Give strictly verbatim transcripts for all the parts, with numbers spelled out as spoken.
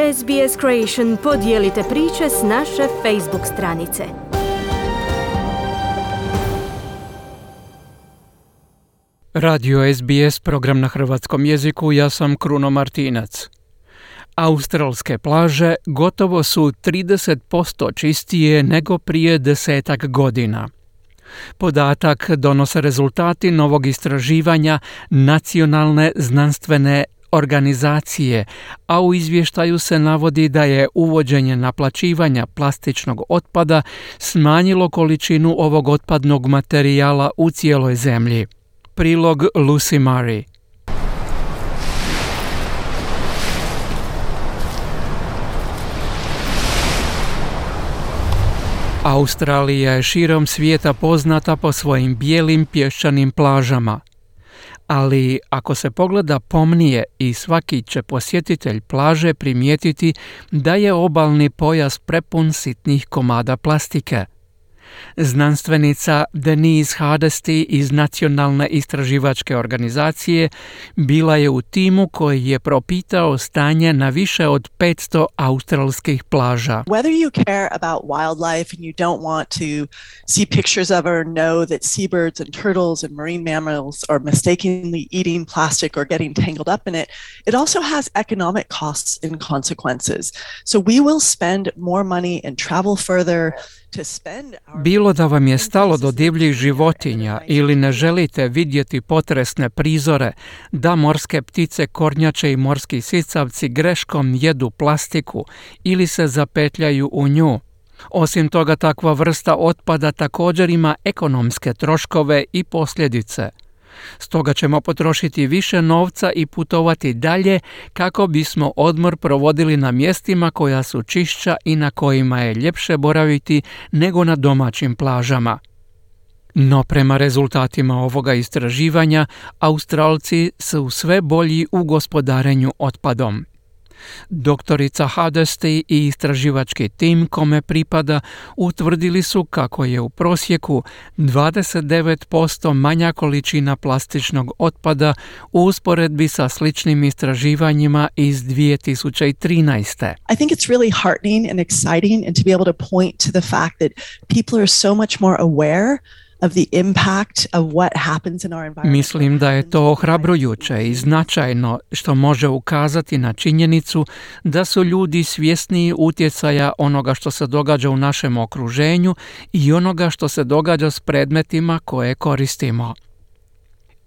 S B S Creation podijelite priče s naše Facebook stranice. Radio S B S, program na hrvatskom jeziku, ja sam Kruno Martinac. Australske plaže gotovo su trideset posto čistije nego prije desetak godina. Podatak donose rezultati novog istraživanja Nacionalne znanstvene organizacije, a u izvještaju se navodi da je uvođenje naplaćivanja plastičnog otpada smanjilo količinu ovog otpadnog materijala u cijeloj zemlji. Prilog Lucy Murray. Australija je širom svijeta poznata po svojim bijelim pješčanim plažama. Ali ako se pogleda pomnije i svaki će posjetitelj plaže primijetiti da je obalni pojas prepun sitnih komada plastike. Znanstvenica Denise Hardesty iz Nacionalne istraživačke organizacije bila je u timu koji je propitao stanje na više od petsto australskih plaža. Whether you care about wildlife and you don't want to see pictures of or know that seabirds and turtles and marine mammals are mistakenly eating plastic or getting tangled up in it, it also has economic costs and consequences. So we will spend more money and travel further. Bilo da vam je stalo do divljih životinja ili ne želite vidjeti potresne prizore, da morske ptice, kornjače i morski sisavci greškom jedu plastiku ili se zapetljaju u nju. Osim toga, takva vrsta otpada također ima ekonomske troškove i posljedice. Stoga ćemo potrošiti više novca i putovati dalje kako bismo odmor provodili na mjestima koja su čišća i na kojima je ljepše boraviti nego na domaćim plažama. No prema rezultatima ovoga istraživanja, Australci su sve bolji u gospodarenju otpadom. Doktorica Hardesty i istraživački tim kome pripada utvrdili su kako je u prosjeku dvadeset devet posto manja količina plastičnog otpada u usporedbi sa sličnim istraživanjima iz dvije tisuće trinaeste. I think it's really heartening and exciting and to be able to point to the fact that people are so much more aware of the impact of what happens in our environment. Mislim da je to ohrabrujuće i značajno što može ukazati na činjenicu da su ljudi svjesniji utjecaja onoga što se događa u našem okruženju i onoga što se događa s predmetima koje koristimo.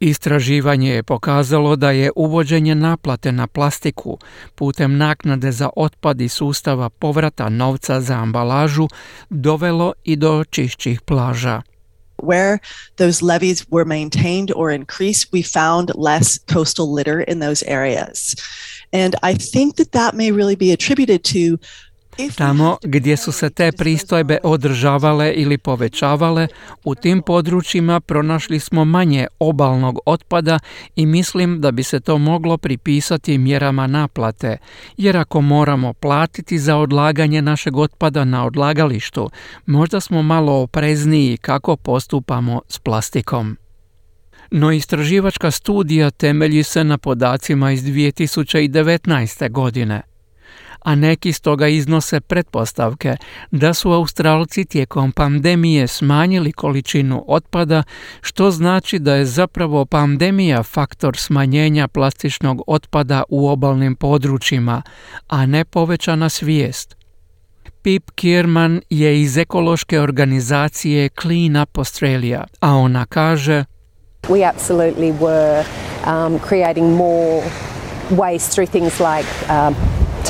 Istraživanje je pokazalo da je uvođenje naplate na plastiku putem naknade za otpad i sustava povrata novca za ambalažu dovelo i do čišćih plaža. Where those levees were maintained or increased, we found less coastal litter in those areas. And I think that that may really be attributed to Tamo gdje su se te pristojbe održavale ili povećavale, u tim područjima pronašli smo manje obalnog otpada i mislim da bi se to moglo pripisati mjerama naplate, jer ako moramo platiti za odlaganje našeg otpada na odlagalištu, možda smo malo oprezniji kako postupamo s plastikom. No istraživačka studija temelji se na podacima iz dvije tisuće devetnaeste. godine. A neki stoga iznose pretpostavke da su Australci tijekom pandemije smanjili količinu otpada, što znači da je zapravo pandemija faktor smanjenja plastičnog otpada u obalnim područjima, a ne povećana svijest. Pip Kierman je iz ekološke organizacije Clean Up Australia, a ona kaže: We absolutely were um, creating more waste through things like um,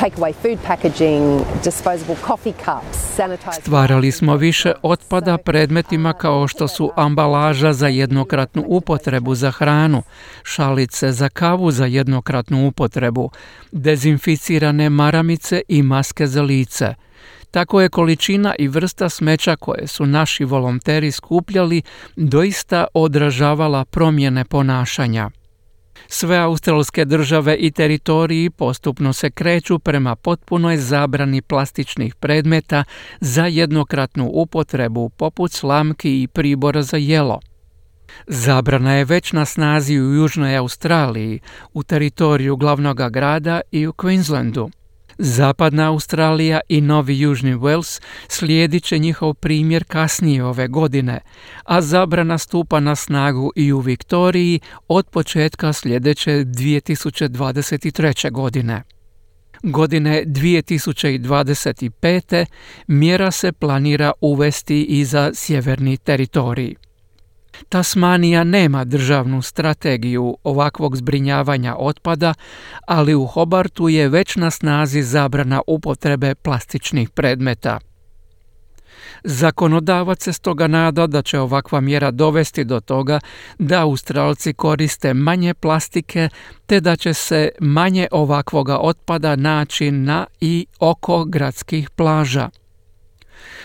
take away food packaging, disposable coffee cups, sanitized. Stvarali smo više otpada predmetima kao što su ambalaža za jednokratnu upotrebu za hranu, šalice za kavu za jednokratnu upotrebu, dezinficirane maramice i maske za lice. Tako je količina i vrsta smeća koje su naši volonteri skupljali doista odražavala promjene ponašanja. Sve australske države i teritoriji postupno se kreću prema potpunoj zabrani plastičnih predmeta za jednokratnu upotrebu poput slamki i pribora za jelo. Zabrana je već na snazi u Južnoj Australiji, u teritoriju glavnog grada i u Queenslandu. Zapadna Australija i Novi Južni Wales slijedit će njihov primjer kasnije ove godine, a zabrana stupa na snagu i u Viktoriji od početka sljedeće dvije tisuće dvadeset treće. godine. Godine dvije tisuće dvadeset pete. mjera se planira uvesti i za sjeverni teritorij. Tasmanija nema državnu strategiju ovakvog zbrinjavanja otpada, ali u Hobartu je već na snazi zabrana upotrebe plastičnih predmeta. Zakonodavac se stoga nada da će ovakva mjera dovesti do toga da Australci koriste manje plastike, te da će se manje ovakvoga otpada naći na i oko gradskih plaža.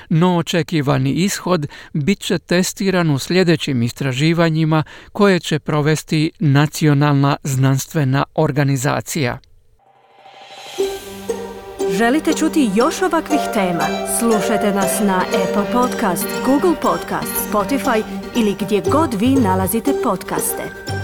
No očekivani ishod bit će testiran u sljedećim istraživanjima koje će provesti Nacionalna znanstvena organizacija. Želite čuti još ovakvih tema? Slušajte nas na Apple Podcast, Google Podcast, Spotify ili gdje god vi nalazite podcaste.